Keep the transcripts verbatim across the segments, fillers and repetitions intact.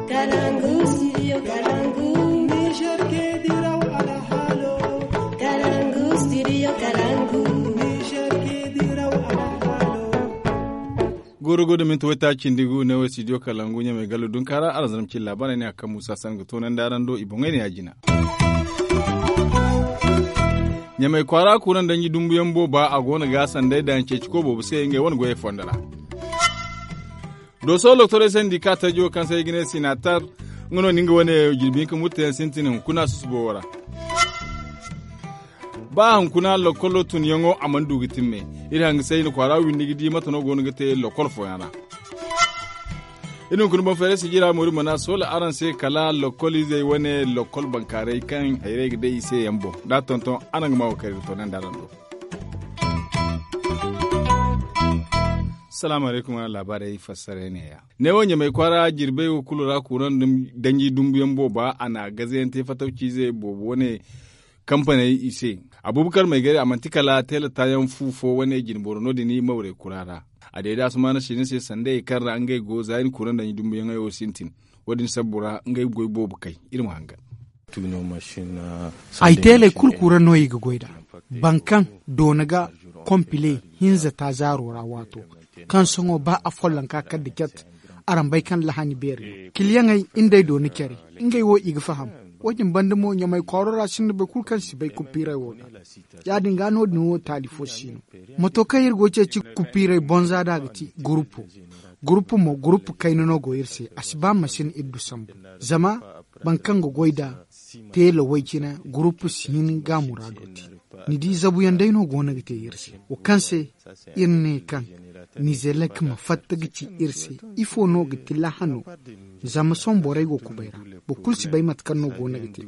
Kalangu, studio Kalangu. Niger ke diraw alhalo. Kalangu, studio Kalangu. Niger ke diraw alhalo. Goro godo minti wata cindi gu ne wo studio Kalangu ɲamay gallo dunkaara aran zanam cilla bana ne a kan musa san ga tonan daran do i boŋay ne ya jina. Ɲamay kwaara kuuran danji dumbuyaŋ booba a go no ga sanday daŋ ceeci ko boobo se ngey wane goyey fondo ra. Dooso doktorey sendika tajo kaŋ se i ga ne sinatar nga no ni nga wane jirbi hinka murtayaŋ sintin hunkuna susubo wo ra. Ba hunkuna lokkolo tunyaŋo a mana du ga timme. Iri hangasay i na kwaara windi ga di mate no go no ga te lokkol fooyaŋ ra. Iri hunkuna boŋ fayray sijira mo iri mana soola araŋ se kala lokkol izey wane lokkol bankaaray kaŋ hayray ga day i se yaŋ boŋ da a tonton araŋ ga ma wo kaŋ iri ga toonandi araŋ do. Salaamu alaykum araŋ laabaarey fassaray neeya. Neewo ɲamay kwaara jirbey wo kulu ra kuuraŋ danji dumbuyaŋ booba a na gazayaŋ te fatawciize boobo wane kampaney i se. Abubakar maygari a manti kala teela taayaŋ fu fo wane jinboro no- din mawrey kura ra. A deeda asumaana siina se sanda ye kaŋ ra ngey go za i na kuuraŋ danji dumbuyaŋey wo sintin. Wo- din sabbu ra ngey goy boobo kay. Iri ma hangan. Ay teeley kulu kura no i ga goy nd'a. Boro kaŋ doona ga kompile hinza taazaaro ra waato kaŋ sohõ ba afollanka kala da cat. Araŋ bay kaŋ lahani beeri no kiliyaŋey nd'ey doona care. Ngey wo i ga faham. Wo- din banda mo ɲamay kwaaro ra sinda boro kulu kaŋ si bay kupiirey wo ga. Ya- din ga no- din wo taali fo si no. Mato kaŋ iri go ga ceeci kupiirey bonza nd'a ga ti gurupu. Gurupu mo gurupu kayna no go iri se a si ba masin iri du sambu. Zama boro kaŋ ga goy nd'a teela way cine gurupu si hin ga a muraado te. Ni di zabuyaŋ day no go no ga te iri se wo kaŋ se iri ne kaŋ nizelek ma fatta ga ci iri se. Ifo no ga ti lahano? Zama sohõ borey go kubay ra. Boro kulu si bay mate kaŋ no go no ga te.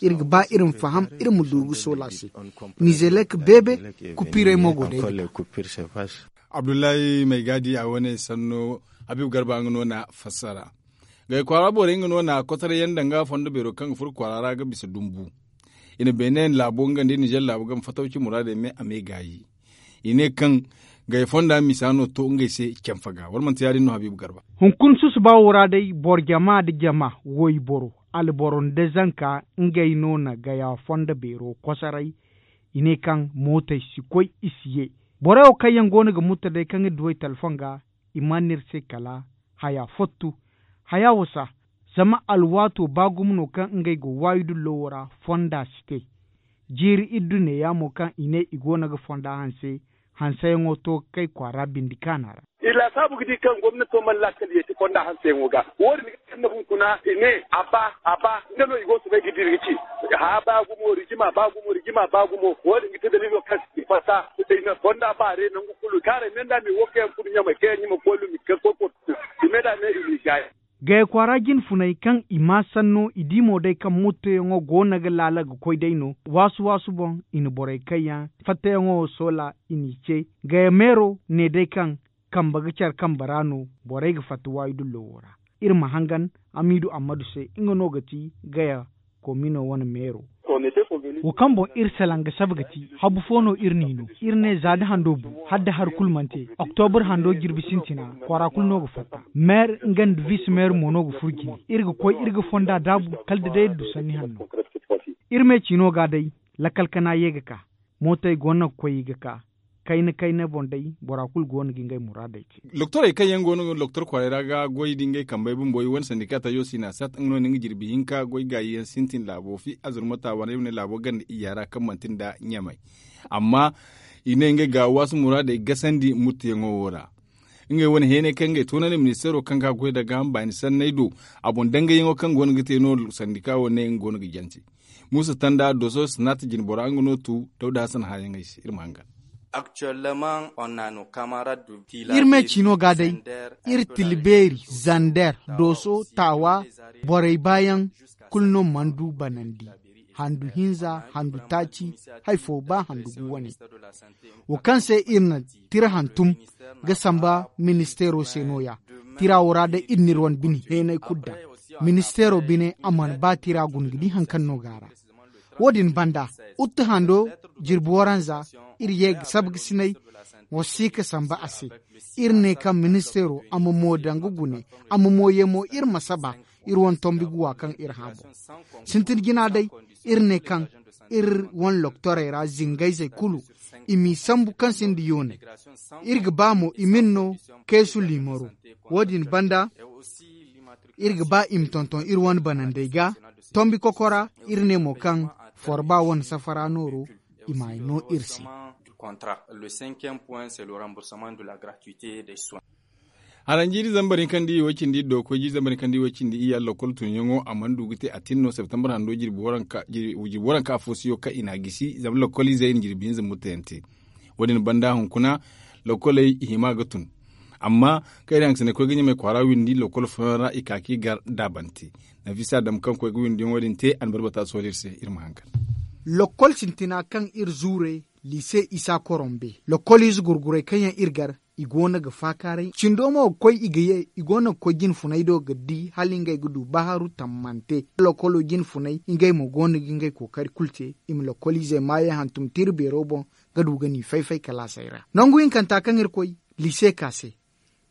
Iri ga ba iri ma faham iri ma du ga soola se. Nizelek beebe kupiirey mo go day ga. Abdullahi maygaadi a wane sanno. Habiibu garba nga no na fassara. Gay kwaara borey nga no na kotaray yaŋ danga fondo beero kaŋ ga furo kwaara ra ga bisa dumbu. I na beene laabo nga nda nizer laabo game fatawci muraadey me a me gaayi. I ne kaŋ gay fonda misa no to ngey se canfa ga wala manti ya- din no habiibu garba. Hunkuna susuba wo ra day boro jama nda jama wayboro alboro nda zanka ngey no na gaya fondo beero kosaray. I ne kaŋ mootey si koy i si ye. Borey wo kaŋ yaŋ go no ga mutta day kaŋ iri duw'ey talfon ga i mana iri se kala haya fottu. Haya wasa. Zama alwaato ba gumo no kaŋ ngey go waayudullo wo ra fonda si te. Jiiri iddu neeya mo kaŋ i ne i go no ga fonda hanse hanseyaŋo to ga kay kwaara bindi kaana ra. I laasaabu ga di kaŋ gomnato mana laakal yeeti fonda hanseyaŋo ga. Wo- din ga kande hunkuna i ne a ba a ba nga no i go soobay ga dira ga ci. Haya ba gumo rijima ba gumo rijima ba gumo wo- din ga te daliilo kaŋ se i fatta i na fonda baare nangu kulu kaaray me nda me wo kaŋ yaŋ furo ɲamay kaŋ yaŋ ɲuma koy lumi ga koy portu i me nda me i n'i gaayi. Gaya kwaara jine funay kaŋ i maa sanno i di mo day kaŋ mottoyaŋo go no ga laala ga koy day no. Waasu waasu boŋ i na borey kaŋ yaŋ fattayaŋo wo soola i n'i ce. Gaya meero ne day kaŋ kambe ga care kambe ra no borey ga fatta waayudullo wo ra. Iri ma hangan hamiidu ammadu se nga no ga ti gaya koomino wane meero. Wo kaŋ boŋ iri salaŋ ga saba ga ti habu fo no iri n'i no. Iri ne za da hando bu hala da hari kulu mana te oktobur hando jirbi sintina kwaara kulu no ga fatta. Meer nga nda vis meer mo no ga furo jine iri ga koy iri ga fonda daabu kala da day iri du sanni hanno. Iri me ciino ga day lakkal kana ye ga ka. Mootey go no ga koy i ga ka. Kayna kayna boŋ day bora kulu go no ga ngey muraadey te. Loktorey kaŋ yaŋ go no loktor kwaarey ra ga goy da ngey kambey bumbo i wane sandika tajo sina sat nga no ni nga jirbi hinka goy gaayi yaŋ sintin laabo fi azurmata wane ay ma ne laabo ganda iyya ra kaŋ manti nda ɲamay. Amma i ne ngey ga waasu muraadey gasandi muttuyaŋo wo ra. Ngey wane heenay kaŋ ngey toonandi ministeero kaŋ ga goy da gaaham baani sanney do a boŋ dangayaŋo kaŋ go no ga te no sandika wo ne nga go no ga jance. Muusa tanda doso sinata jinbora nga no tu dawda hasan haayaŋey se iri ma hangan. Iri me ciino ga day iri tilbeeri zander doso taawa borey baayaŋ kulu no mana du banandi handu hinza handu taaci. Hari fo ba handu gu wane wo kaŋ se iri na tira hantum ga samba ministeero se no- ya. Tira wo ra day iri n'iri wane bine heenay kulu daŋ. Ministeero bine a mana ba tira guna ga di hari kaŋ no go a ra. Wo- din banda utte hando jirbi waranza iri ye ga sabgasinay wasiika samba a se. Iri ne kaŋ ministeero a ma mo daŋ ga gune a ma mo ye mo iri ma saba iri wane tombi ga wa kaŋ iri hã boŋ. Sintin jina day, iri ne kaŋ iri wane loktorey ra zingayzey kulu i m'i sambu kaŋ sinda yooney. Iri ga ba mo i ma ni no keesu liimaro. Wo- din banda, iri ga ba i ma tonton iri wane banandey ga. Tombi kokora, iri ne mo kaŋ forba wane safara nooro i m'a no iri se. Haranjiiri zambar hinka nda iyye way cindi iddo ga koy jiiri zambar hinka nda iyye way cindi iyye ra lokol tunyaŋo a mana du ga te a tin no septembar hando jirbi waranka afo siyo kaŋ i n'a gisi zama lokol izey i na jirbi hinza murtayaŋ te. Wo- din banda hunkuna lokoley i hima ga tun. Amma kaŋ iri hangasinay koy ga ɲamay kwaara windi lokol fooyaŋ ra i ka ka i gar daabante. Nafisa dam kaŋ koy ga windiyaŋo din te a na barbata sohõ iri se iri ma hangan. Lokol sintina kaŋ iri zuure liise isa korombe lokol ize gurgurey kaŋ yaŋ iri gar i go no ga faakaaray cindo mo ga koy i ga ye i go no ga koy jine funay do ga di hala ngey ga du baharu tammante. Lokolo jine funay ngey mo go no ga ngey kookari kulu te i ma lokol izey maayey hantum tira beero boŋ ga du ga n'i fay-fay kalaasey ra. Nangu hinkanta kaŋ iri koy liise ka se.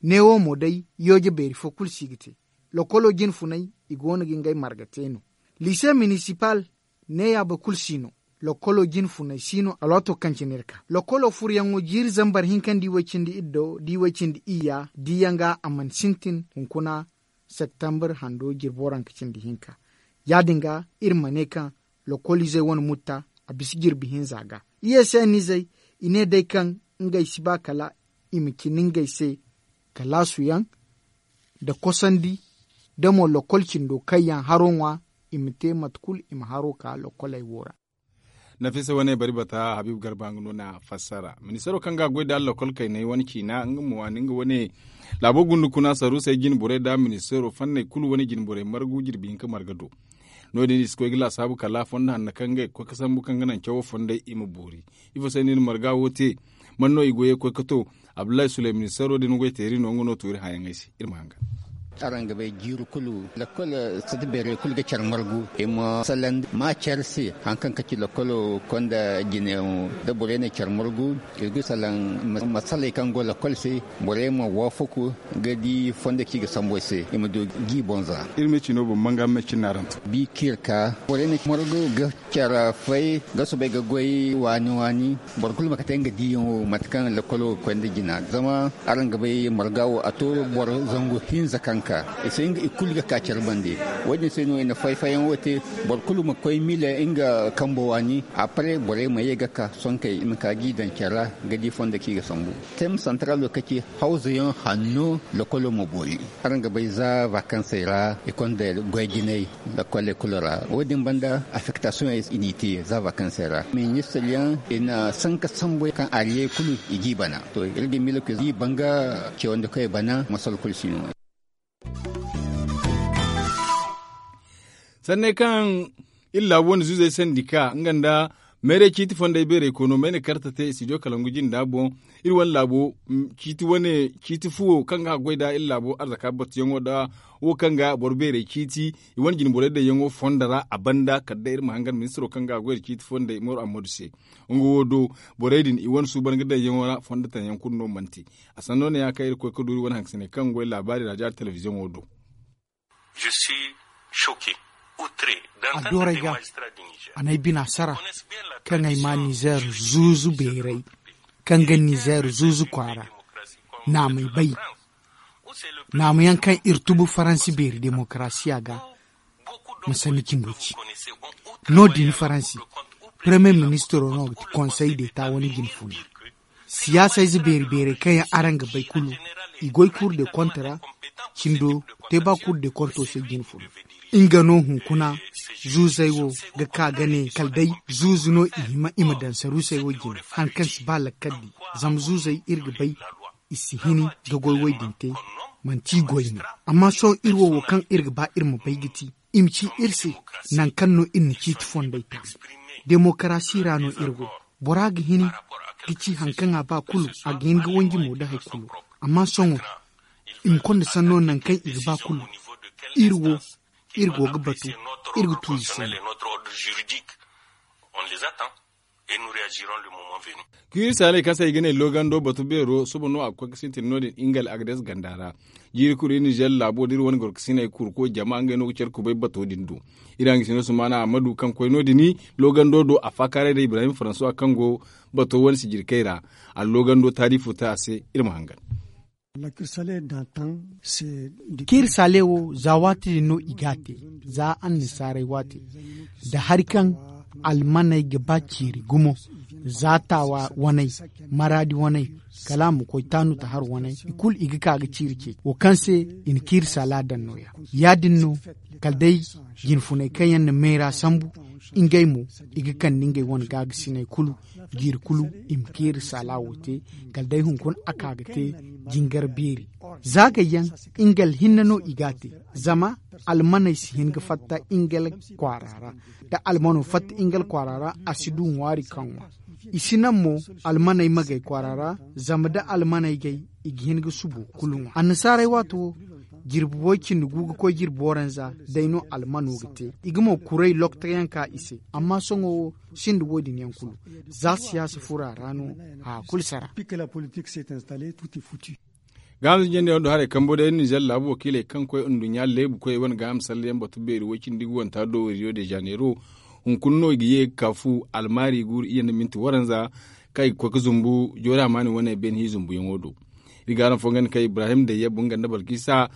Neewo mo day yooje beeri fo kulu si ga te. Lokolo jine funay i go no ga ngey marga te no. Liise minisipal neeya boro kulu si no. Lokolo jine funay si no alwaato kaŋ cine iri ka lokolo furuyaŋo jiiri zambar hinka nda i way cindi iddo da i way cindi iyya diyaŋ ga a mana sintin hunkuna septembar hando jirbi waranka cindi hinka. Ya- din ga iri ma ne kaŋ lokol izey wane mutta a bisa jirbi hinza ga. Iyye se ni izey i ne day kaŋ ngey si ba kala i ma cindi ngey se kalaasu yaŋ nda kosandi nda mo lokol cindo kaŋ yaŋ haro ŋwa i ma te mate kulu i ma haro ka lokoley wo ra. Nafisa wane bari bata habib garba nga no na fassara ministaro kaŋ ga a goy da lokol kayney wane ciina nga mo waani nga wane laabo gundu kuna saruusey jine borey da ministaro fanney kulu wane jine borey margu jirbi hinka marga do. No- din i si koy ga laasaabu kala fondo hanno kaŋ ga koy ga sambu kaŋ ga naŋ cawo fondey i ma boori. Ifo se no i na marga wo te? Man no i go ye ga koy ga to? Abdullahi suleyman saro din goy teeri no nga no tuuri hãyaŋey se. Iri ma hangan. Araŋ ga bay jiiri kulu lakkol sata beerey kulu ga care margu i ma salandi ma care se. Haŋ kaŋ ga ci lakkolo konda jineyaŋo da borey na care margu, iri ga salaŋ masaley kaŋ go lakkol se. Borey ma waafaku ga di fondo kaŋ i ga sambu ay se i ma du ga i boŋ za. Iri me cino boŋ manga me cin na araŋ to. Bi kaŋ iri ka borey na care margu ga care fay ga soobay ga goy waani waani. Boro kulu ma kate nga diiyaŋo mate kaŋ lakkolo ga koy nda jina zama araŋ ga bay marga wo a to boro zangu hinza kaŋ ka i se nga i kulu ga ka care bande. Wo- din se no i na fay-fayyaŋo te boro kulu ma koy miila nga kambo waani. Après borey ma ye ga ka sonkey i ma ka ga i daŋ care ra ga di fondo kaŋ i ga sambu. Tem santaralo kaŋ ci hawzayaŋ hanno lakkolo ma boori. Araŋ ga bay za vakansey ra i konda goy jinay lakkole kulu ra. Wo- din banda afektasiyoŋey i n'i te za vakansey ra ministir yaŋ i na sanka sambu kaŋ ariyey kulu i g'i bana. To iri ga miila ga i banga cewandikoy bana masal kulu si no. Sanney kaŋ iri laabu wane zuuzey sandi ka nga nda mayray ciiti fondey beerey koy no mayna karte te studio kalangu jinda boŋ. Iri wane laabo ciiti wane ciiti fuwo kaŋ ga haggoy nda iri laabo arzaka batuyaŋo nda wo kaŋ ga boro beerey ciiti i wane jine borey daŋyaŋo fondo ra a banda kala day iri ma hangan ministiro kaŋ ga haggoy nda ciiti fondey moro ammadu se. Nga wo do borey din i wane suuban ga daŋyaŋo ra fondo taŋyaŋ kulu no mana te. A sanno ne ya kaŋ iri koy ga duuri wane hangasiney kaŋ goy laabaari raajo ara telebiziyoŋo do. A doorey ga a n'ay bina sara kaŋ ay ma nizeer zuuzu beeray kaŋ ga nizeer zuuzu kwaara. Naamay bay naamayaŋ kaŋ iri tubu faransi beeri demokarasiya ga. Ma sanni cimbo ci no- din faransi paremiye ministiro no ga ti konsey deeta wane jine funa. Siyaasa ize beeri beerey kaŋ yaŋ araŋ ga bay kulu i goy kuuru de konte ra. Cindo te ba kuuru de konto se jine funa. Nga no hunkuna zuuzey wo ga ka ga ne kala day zuuzu no i hima i ma daŋ saruusey wo jine hari kaŋ si ba lakkal di. Zama zuuzey iri ga bay i si hini ga goy woy din te. Manti i goy no amma sohõ iri wo wo kaŋ iri ga ba iri ma bay ga ti i ma ci iri se. Nangu kaŋ no iri na ciiti fondey ta demokarasi ra no iri go. Bora ga hin ga ci hari kaŋ a ba kulu a ga hin ga wanji mo nda hari kulu. Amma sohõ i ma konda sanno nangu kaŋ i ga ba kulu. Iri wo iri go ga batu iri ga tu i se no. Kiiri saaley kaŋ se i ga ne loogando batu beero suba no a ga koy ga sintin no- din ingal agades ganda ra. Jiiri kulu iri nizer laabo da iri wane gorkasiney kurko jama ngey no ga care kubay bato din do. Iri hangasino sumaana ammadu kaŋ koy no- din loogando do a faakaaray da ibrahim faransuwa kaŋ go bato wane sijirkey ra. A loogando taali fo te a se. Iri ma hangan. Kiiri saale wo za waati din no i g'a te, za annasaarey waati, da hari kaŋ almaney ga ba ciiri gumo, za taawa waney, maraadi waney, kala a ma koy taanu ta har waney, i kulu i ga ka ga ciiri ce wo kaŋ se i na kiiri saala daŋ no- ya. Ya- din no, kala day jinfuney kaŋ yaŋ na meera sambu, ngey mo, i ga kande ngey wane gaagasiney kulu, jiiri kulu i ma keeri saala wo te, kala day hunkuna a ka ga te jingar beeri. Za gayyaŋ, ingal hinne no i g'a te. Zama almaney si hin ga fatta ingal kwaara ra. Da almano fatta ingal kwaara ra, a si du ŋwaari kaŋ ŋwa. I si naŋ mo almaney ma gay kwaara ra, zama da almaney gay, i ga hin ga subo kulu ŋwa annasaarey waato wo. Jirbi way cindi gu ga koy jirbi waranza, day no almano ga te. I ga mo kuray lokta yaŋ ka i se. Amma sohõ wo sinda wo- din yaŋ kulu, za siyaasa furo a ra no. Haya kulu sara. Gaaham zinjandi yaŋ do haray kambo day nizer laabu wakiiley kaŋ koy nduɲɲa leebu koy wane gaaham salleyaŋ batu beeri way cindi ga wanta do rio de janeiro. Hunkuna no i ga ye ga ka fu almaari guuru iyye nda minti waranza, kaŋ i ga koy ga zumbu joori amaani wane beene hi zumbuyaŋo do. Iri ga araŋ fo ganda kaŋ ibrahim dayya bunganda balkisa,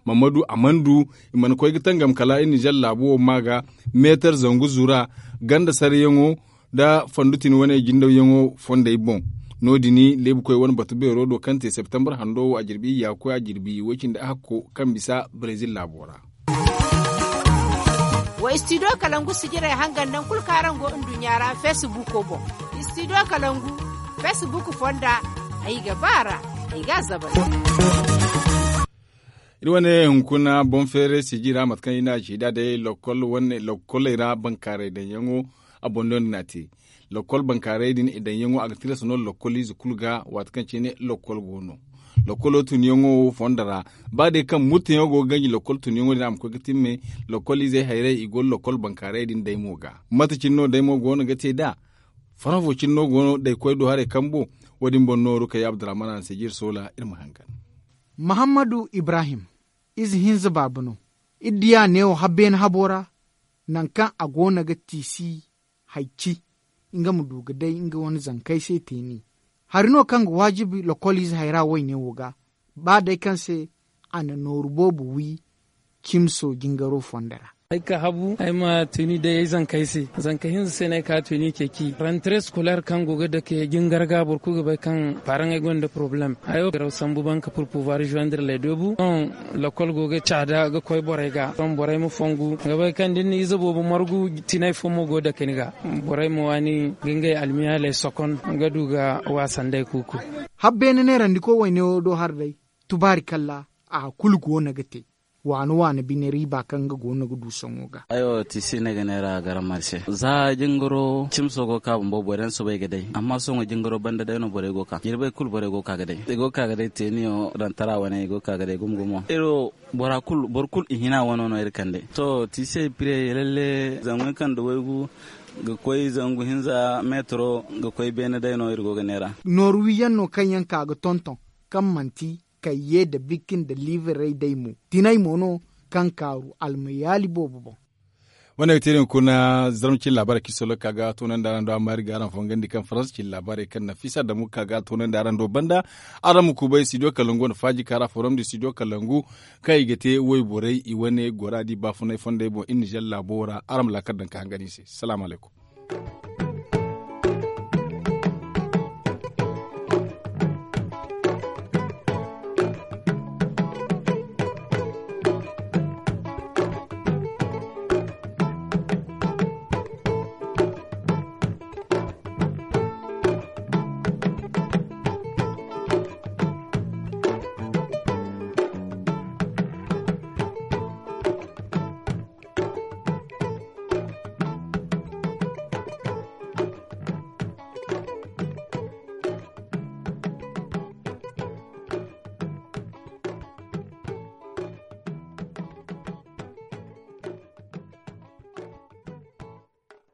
mammadu amandu, i mana koy ga tangam kala iri nizer laabu wo ma ga meetar zangu zura, ganda saryaŋo, nda fandutin wane jindawyaŋo fondey boŋ. No- din leebukoy wane batu beero do kaŋ te septembar hando wo a jirbi iyya koy a jirbi way cindi ahakko kaŋ bisa brezil laabo ra. Wa istidiyo kalangu sijirey hangan naŋ kulu kaŋ araŋ go nduɲɲa ra feesibuko boŋ. Istidiyo kalangu feesibuku fonda, ay ga ba a ra, ay ga a zabal. Iri wane hunkuna boŋ feeray siji ra mate kaŋ iri ne a ci da day lokol wane lokoley ra bankaaray daŋyaŋo. A boŋ no ni n'a te. Lokol bankaaray din i daŋyaŋo a ga tilas no lokol ize kulu ga waati kaŋ cine lokol go no. Lokolo tunyaŋo fondo ra, ba day kaŋ murtayaŋo go ga ganji lokol tunyaŋo din a ma koy ga timme. Lokol izey hayray i go lokol bankaaray din daymo ga. Mate cine no daymo go no ga te nd'a? Faranfo cine no go no daykoy do haray kambo. Wo- din boŋ nooru kay abdurrahman a na se jiri soola iri ma hangan. Mahammadu ibrahim, ize hinza baaba no. Iri diya neewo habbeene habo ra, nangu kaŋ a go no ga tiisi hay ci, nga ma du ga day nga wane zankey se teeni. Hari no kaŋ ga waajibi lokoliize hayra wayne wo ga, ba day kaŋ se a na nooru boobo wi cimso jingaro fondo ra. Ay ka habu ay ma tuni day ay zankey se. Zanka hinza se no ay ka tuni ceeci rentre scolaire kaŋ go ga dake jingar ga boro kulu ga bay kaŋ paraŋey gonda poroblem. Hayo garaw sambu banka pour pouvoir joindre les deux bouts. Sohõ lokol go ga caada ga koy borey ga sohõ borey ma fongu ga bay kaŋ da ni na ize boobo margu tinay fo mo go dake ni ga. Borey ma waani ga ngey almiyaaley sokon ga du ga waasa nd'ey kuuku. Habbeene neerandiko wayne wo do har day tubaari kalla a kulu go no ga te. Waano waano bine riiba kaŋ nga go no ga du sohõ ga. Ay wo tisi ne ga neera garam marse za jingaro cimso go ka bumbo boro yaŋ soobay ga day amma sohõ jingaro banda day no borey go ka jirbey kulu borey go ka ga day i go ka ga day teeniyo daŋ tara wane i go ka ga day gumo gumo iri wo boro kulu i hina wano no iri kande to tisi ay pire lalle zangu kaŋ da waygu ga koy zangu hinza metro ga koy beene day no iri go ga neera. Nooru wiyaŋ no kaŋ yaŋ ka ga tonton kaŋ manti kayye nda bikki nda liibiray day mo tinay mo no kaŋ kaaru almayaali boobo boŋ. Wane ga te din kuna zarma cine laabaarey kaŋ i solo ga ka ga toonandi araŋ do amma iri ga araŋ fongandi kaŋ faransa cine laabaarey kaŋ nafisa damu ga ka ga toonandi araŋ do banda. Araŋ ma kubay studio kalangu wane faaji kaara forum du studio kalangu kaŋ i ga te wayborey i wane gora di baafunay fondey boŋ iri nizer laabo ra araŋ ma laakal daŋ ka hangan i se salaamu alaykum.